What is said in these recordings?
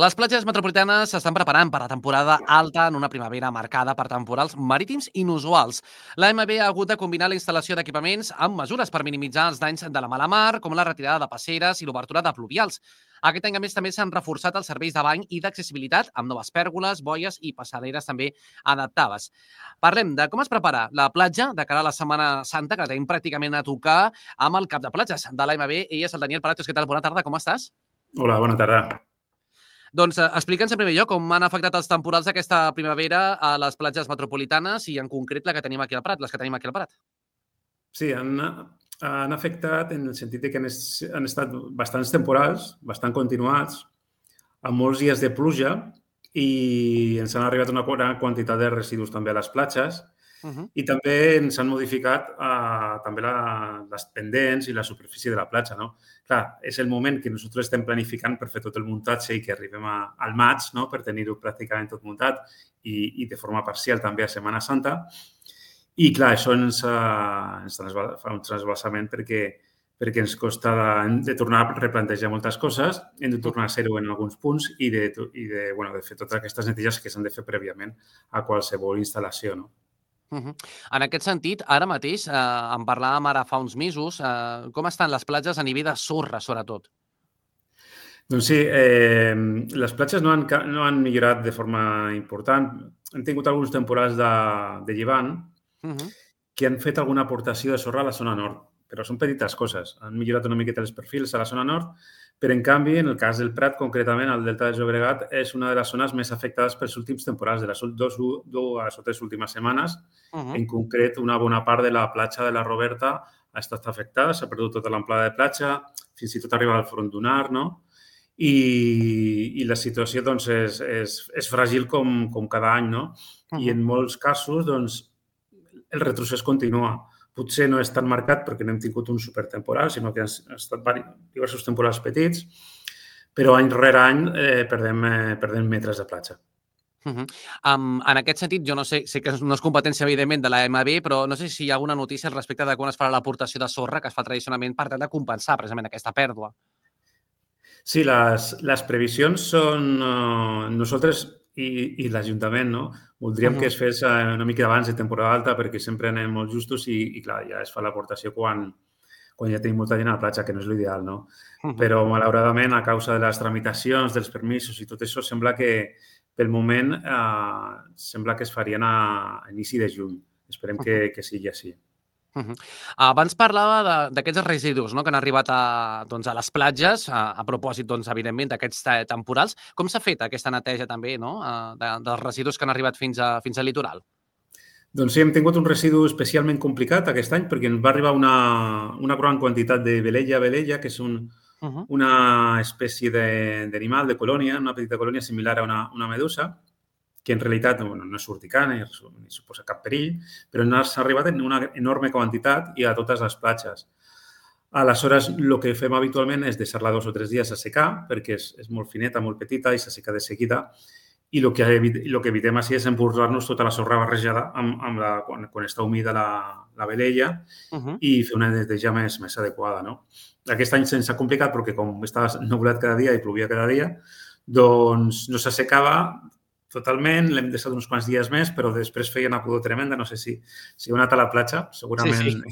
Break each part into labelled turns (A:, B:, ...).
A: Les platges metropolitanes s'estan preparant per a temporada alta en una primavera marcada per temporals marítims inusuals. L'AMB ha hagut de combinar la instal·lació d'equipaments amb mesures per minimitzar els danys de la mala mar, com la retirada de passeres i l'obertura de pluvials. Aquest any, a més, també s'han reforçat els serveis de bany i d'accessibilitat amb noves pèrgoles, boies i passaderes també adaptades. Parlem de com es prepara la platja de cara a la Setmana Santa, que la tenim pràcticament a tocar, amb el cap de platges de l'AMB. Ell és el Daniel Palacios. Què tal? Bona tarda, com estàs?
B: Hola, bona tarda.
A: Doncs explica'ns en primer lloc com han afectat els temporals d'aquesta primavera a les platges metropolitanes i en concret la que tenim aquí al Prat, les que tenim aquí al Prat.
B: Sí, han afectat en el sentit que han estat bastants temporals, bastant continuats, amb molts dies de pluja i ens han arribat una gran quantitat de residus també a les platges i també ens han modificat també les pendents i la superfície de la platja. No? Clar, és el moment que nosaltres estem planificant per fer tot el muntatge i que arribem al maig, no? Per tenir-ho pràcticament tot muntat i de forma parcial també a Setmana Santa. I, clar, això ens fa un transvasament perquè ens costa de tornar a replantejar moltes coses, hem de tornar a ser-ho en alguns punts i de fer totes aquestes neteges que s'han de fer prèviament a qualsevol instal·lació. No?
A: En aquest sentit, ara mateix, en parlàvem ara fa uns mesos, com estan les platges a nivell de sorra, sobretot?
B: Doncs sí, les platges no han millorat de forma important. Hem tingut alguns temporals de llevant que han fet alguna aportació de sorra a la zona nord, però són petites coses. Han millorat una miqueta els perfils a la zona nord, però en canvi, en el cas del Prat, concretament, el Delta del Llobregat, és una de les zones més afectades pels últims temporals, de les dues o tres últimes setmanes. En concret, una bona part de la platja de la Roberta ha estat afectada, s'ha perdut tota l'amplada de platja, fins i tot arriba al front dunar, no? I la situació doncs, és fràgil com cada any, no? I en molts casos doncs, el retrocés continua. Potser no és tan marcat perquè no hem tingut un supertemporal, sinó que han estat diversos temporals petits, però any rere any perdem metres de platja.
A: En aquest sentit, jo no sé que no és competència, evidentment, de l'AMB, però no sé si hi ha alguna notícia al respecte de quan es farà l'aportació de sorra que es fa tradicionalment per tal de compensar precisament aquesta pèrdua.
B: Sí, les previsions són... Nosaltres i l'Ajuntament, no? Voldríem que es fes una mica abans de temporada alta perquè sempre anem molt justos i clar, ja es fa l'aportació quan ja tenim molta gent a la platja, que no és l'ideal, no? Però, malauradament, a causa de les tramitacions, dels permisos i tot això, sembla que pel moment sembla que es farien a inici de juny. Esperem que sigui així.
A: Abans parlava d'aquests residus que han arribat a les platges, a propòsit, evidentment, d'aquests temporals. Com s'ha fet aquesta neteja també dels residus que han arribat fins al litoral?
B: Doncs sí, hem tingut un residu especialment complicat aquest any perquè ens va arribar una gran quantitat de velella, que és una espècie d'animal, de colònia, una petita colònia similar a una medusa, que en realitat no és urticant ni suposa cap perill, però s'ha arribat en una enorme quantitat i a totes les platges. Aleshores, el que fem habitualment és deixar-la 2 o 3 dies a secar, perquè és molt fineta, molt petita i s'asseca de seguida. I el que evitem així és emportar-nos tota la sorra barrejada quan està humida la velella i fer una neteja més adequada. No? Aquest any se'ns ha complicat perquè com estava nuvolat cada dia i plovia cada dia, doncs no s'assecava totalment, l'hem deixat uns quants dies més, però després feia una pudor tremenda. No sé si heu anat a la platja, segurament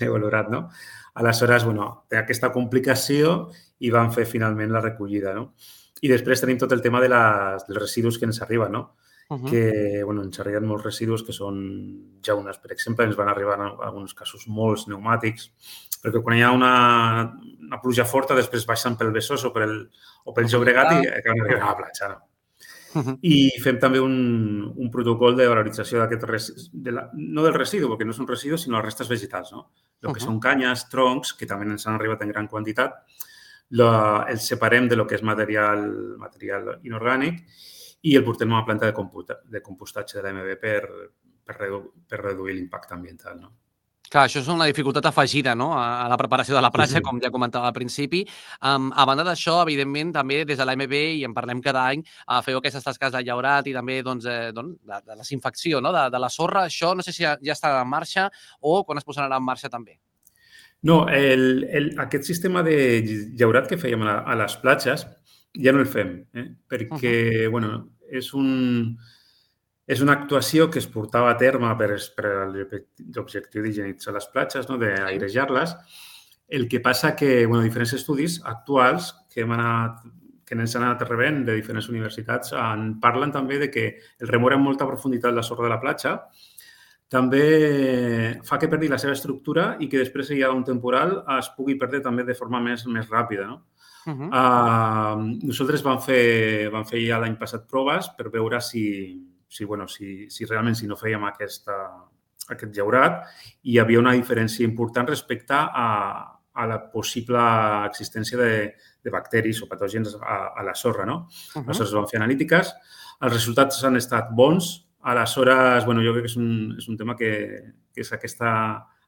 B: heu valorat, no? Aleshores, té aquesta complicació i vam fer finalment la recollida, no? I després tenim tot el tema dels residus que ens arriben, no? Que ens arriben molts residus que són llaunes, per exemple, ens van arribar en alguns casos molts pneumàtics, perquè quan hi ha una pluja forta després baixen pel Besòs o pel Llobregat i acaben arribant a la platja, no? I fem també un protocol de valorització d'aquest no del residu, perquè no és un residu, sinó les restes vegetals, no? El que són canyes, troncs, que també ens han arribat en gran quantitat, els separem de lo que és material inorgànic i el portem a una planta de compostatge de l'AMB per reduir l'impacte ambiental, no?
A: Clar, això és una dificultat afegida a la preparació de la platja, com ja comentava al principi. A banda d'això, evidentment, també des de l'AMB, i en parlem cada any, feu aquestes tasques de llaurat i també de desinfecció de la sorra. Això no sé si ja està en marxa o quan es posarà en marxa també.
B: No, aquest sistema de llaurat que fèiem a les platges ja no el fem, perquè, bueno, és una actuació que es portava a terme per l'objectiu d'higienitzar les platges, no? D'airejar-les. El que passa que, bueno, diferents estudis actuals que ens han anat rebent de diferents universitats en parlen també de que el remoure amb molta profunditat la sorra de la platja també fa que perdi la seva estructura i que després hi ha un temporal es pugui perdre també de forma més ràpida, no? Nosaltres vam fer ja l'any passat proves per veure si realment no fèiem aquest llaurat i hi havia una diferència important respecte a la possible existència de bacteris o patògens a la sorra, no? Aleshores vam fer analítiques, els resultats han estat bons. Aleshores, jo crec que és un tema que és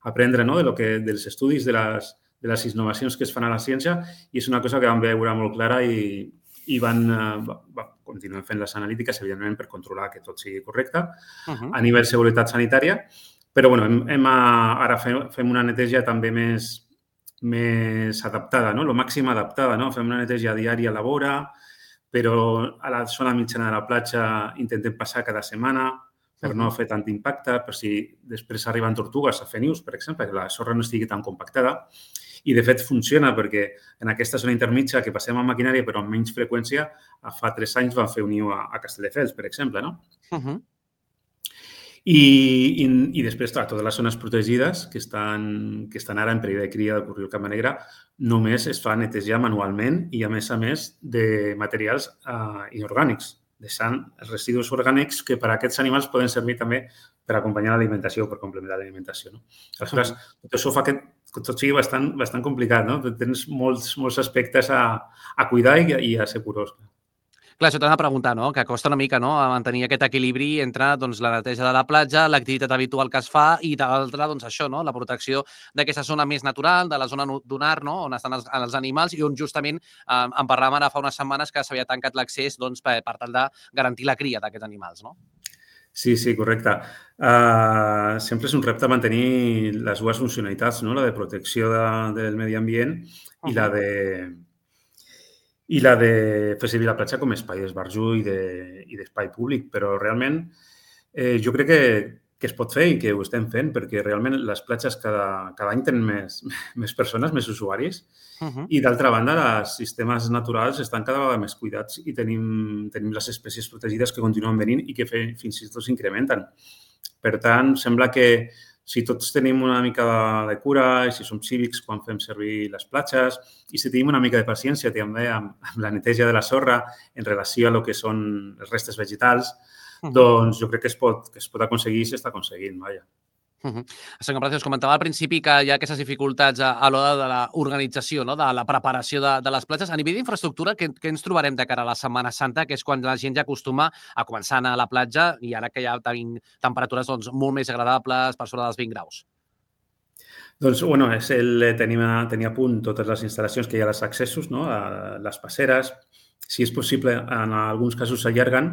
B: aprendre, no? Dels estudis, de les innovacions que es fan a la ciència i és una cosa que vam veure molt clara i continuem fent les analítiques, evidentment, per controlar que tot sigui correcte a nivell de seguretat sanitària. Però, ara fem una neteja també més adaptada, no? Lo màxim adaptada, no? Fem una neteja diària a la vora, però a la zona mitjana de la platja intentem passar cada setmana per no fer tant impacte, per si després arriben tortugues a fer nius, per exemple, que la sorra no estigui tan compactada. I, de fet, funciona perquè en aquesta zona intermitja que passem amb maquinària però amb menys freqüència, fa 3 anys vam fer un niu a Castelldefels, per exemple, no? I després, clar, totes les zones protegides que estan ara en perill de cria del corriol Cama Negra només es fa netejar manualment i, a més, de materials inorgànics, deixant els residus orgànics que per a aquests animals poden servir també per acompanyar l'alimentació o per complementar l'alimentació. Aleshores, tot això fa que tot sigui bastant complicat, no? Tens molts aspectes a cuidar i a ser curós.
A: Clar, això t'han de preguntar, no? Que costa una mica, no?, a mantenir aquest equilibri entre la neteja de la platja, l'activitat habitual que es fa i, de l'altra, això, no?, la protecció d'aquesta zona més natural, de la zona dunar, no?, on estan els animals i on justament en parlàvem ara fa unes setmanes que s'havia tancat l'accés per tal de garantir la cria d'aquests animals, no?
B: Sí, correcte. Sempre és un repte mantenir les dues funcionalitats, no?, la de protecció del medi ambient i la de fer servir la platja com a espai d'esbarjo i d'espai públic. Però realment jo crec que es pot fer i que ho estem fent perquè realment les platges cada any tenen més persones, més usuaris i, d'altra banda, els sistemes naturals estan cada vegada més cuidats i tenim les espècies protegides que continuen venint i que fins i tot s'incrementen. Per tant, sembla que si tots tenim una mica de cura i si som cívics quan fem servir les platges i si tenim una mica de paciència també amb la neteja de la sorra en relació a lo que són els restes vegetals, doncs jo crec que es pot aconseguir i s'està aconseguint, vaja.
A: Senyor Palacios, comentava al principi que hi ha aquestes dificultats a l'hora de l'organització, no?, de la preparació de les platges. A nivell d'infraestructura, què ens trobarem de cara a la Setmana Santa, que és quan la gent ja acostuma a començar a anar a la platja i ara que ja tenim temperatures molt més agradables, per sobre dels 20 graus?
B: Doncs, tenir a punt totes les instal·lacions que hi ha als accessos, no?, a les passeres. Si és possible, en alguns casos s'allarguen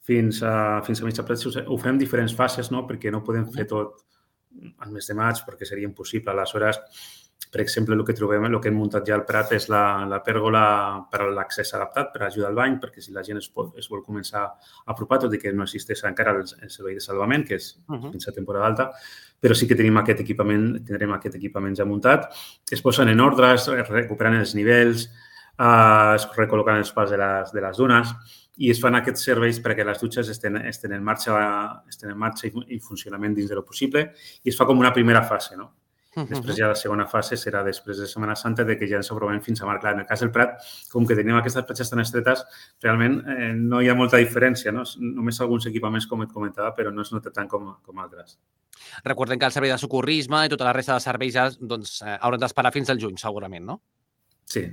B: fins a mitja platja. Ho fem en diferents fases, no?, perquè no podem fer tot al mes de maig, perquè seria impossible. Aleshores, per exemple, el que hem muntat ja al Prat és la pèrgola per a l'accés adaptat, per ajudar al bany, perquè si la gent es vol començar a apropar, tot i que no existeix encara el servei de salvament, que és fins a temporada alta, però sí que tindrem aquest equipament ja muntat. Es posen en ordre, es recuperen els nivells, es recol·loquen els pals de les dunes i es fan aquests serveis perquè les dutxes estan en marxa i funcionament dins del possible i es fa com una primera fase, no? Després ja la segona fase serà després de Setmana Santa que ja ens aprovem fins a mar. Clar, en el cas del Prat, com que tenim aquestes platges tan estretes, realment no hi ha molta diferència, no? Només alguns equipaments, com et comentava, però no es nota tant com altres.
A: Recordem que el servei de socorrisme i tota la resta de serveis ja hauran d'esperar fins al juny, segurament, no?
B: Sí.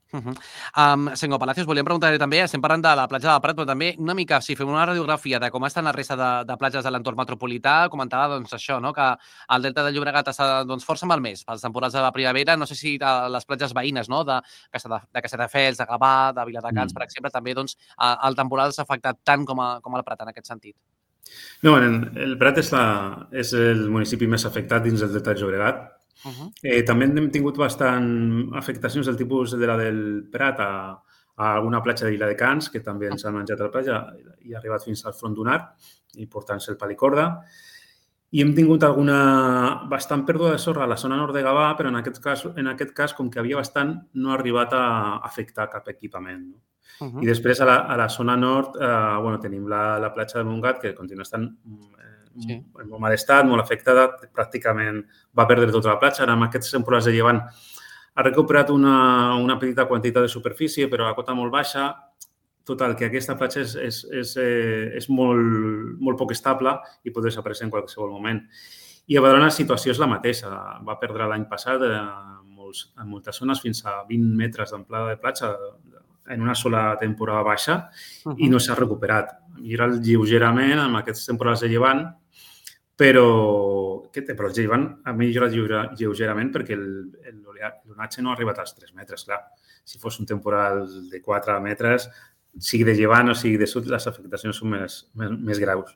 A: Senyor Palacios, volíem preguntar també, estem parlant de la platja del Prat, però també una mica, si fem una radiografia de com estan la resta de platges de l'entorn metropolità, comentava això, no?, que el Delta del Llobregat està força malmès pels temporals de la primavera. No sé si les platges veïnes, no?, de Castelldefels, de Gavà, de Viladecans, per exemple, també el temporal s'ha afectat tant com el Prat en aquest sentit.
B: No, el Prat és el municipi més afectat dins del Delta del Llobregat. També hem tingut bastant afectacions del tipus de la del Prat a a alguna platja d'Illa de Cans, que també ens han menjat a la platja i ha arribat fins al front d'un arc, i portant-se el palicorda. I hem tingut alguna bastant pèrdua de sorra a la zona nord de Gavà, però en aquest cas, com que havia bastant, no ha arribat a afectar cap equipament. I després a la zona nord tenim la platja de Montgat, que continua estant en molt mal estat, molt afectada, pràcticament va perdre tota la platja. Ara, amb aquests temporals de llevant, ha recuperat una petita quantitat de superfície, però a cota molt baixa. Total, que aquesta platja és molt poc estable i pot desaparèixer en qualsevol moment. I a Badalona la situació és la mateixa. Va perdre l'any passat en moltes zones fins a 20 metres d'amplada de platja en una sola temporada baixa i no s'ha recuperat. Ha millorat lleugerament amb aquests temporals de llevant, però el llevant ha millorat lleugerament perquè l'onatge no ha arribat als 3 metres. Clar, si fos un temporal de 4 metres, sigui de llevant o sigui de sud, les afectacions són més graus.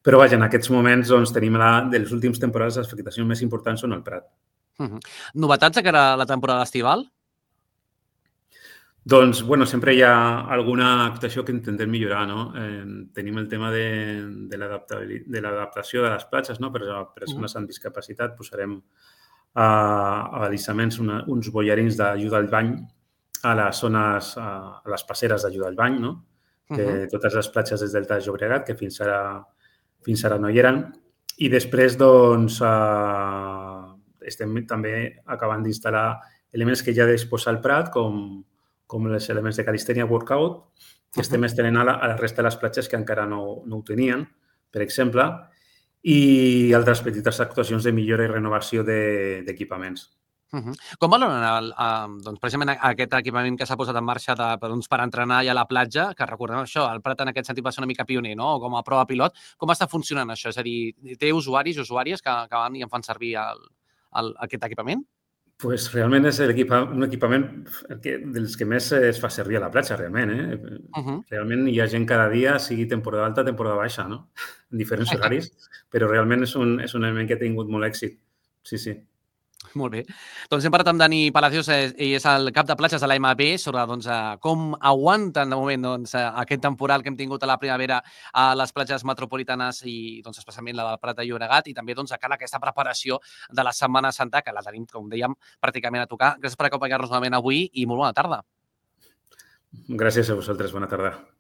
B: Però, vaja, en aquests moments tenim de les últimes temporades les afectacions més importants són al Prat.
A: Novetats de cara a la temporada estival?
B: Doncs, sempre hi ha alguna actuació que intentem millorar, no? Tenim el tema de l'adaptació de les platges, no? Per a persones amb discapacitat posarem a alissaments uns bollarins d'ajuda al bany a les zones, a les passeres d'ajuda al bany, no? Que totes les platges des del Delta de Llobregat, que fins ara no hi eren. I després, doncs, estem també acabant d'instal·lar elements que ja disposa el Prat, com els elements de calistènia workout, que estem estenent a la resta de les platges que encara no ho tenien, per exemple, i altres petites actuacions de millora i renovació d'equipaments.
A: Com valoren precisament aquest equipament que s'ha posat en marxa per entrenar ja a la platja, que recordem això, el Prat en aquest sentit va ser una mica pioner, no? Com a prova pilot. Com està funcionant això? És a dir, té usuaris i usuàries que van i en fan servir aquest equipament?
B: Doncs realment és un equipament dels que més es fa servir a la platja, realment. Realment hi ha gent cada dia, sigui temporada alta, temporada baixa, no? En diferents horaris, però realment és un element que ha tingut molt èxit. Sí.
A: Molt bé. Doncs hem parlat amb Dani Palacios, ell és el cap de platges de l'AMB, sobre com aguanten de moment aquest temporal que hem tingut a la primavera a les platges metropolitanes i especialment la del Prat de Llobregat i també de cara a aquesta preparació de la Setmana Santa, que la tenim, com dèiem, pràcticament a tocar. Gràcies per acompanyar-nos novament avui i molt bona tarda.
B: Gràcies a vosaltres. Bona tarda.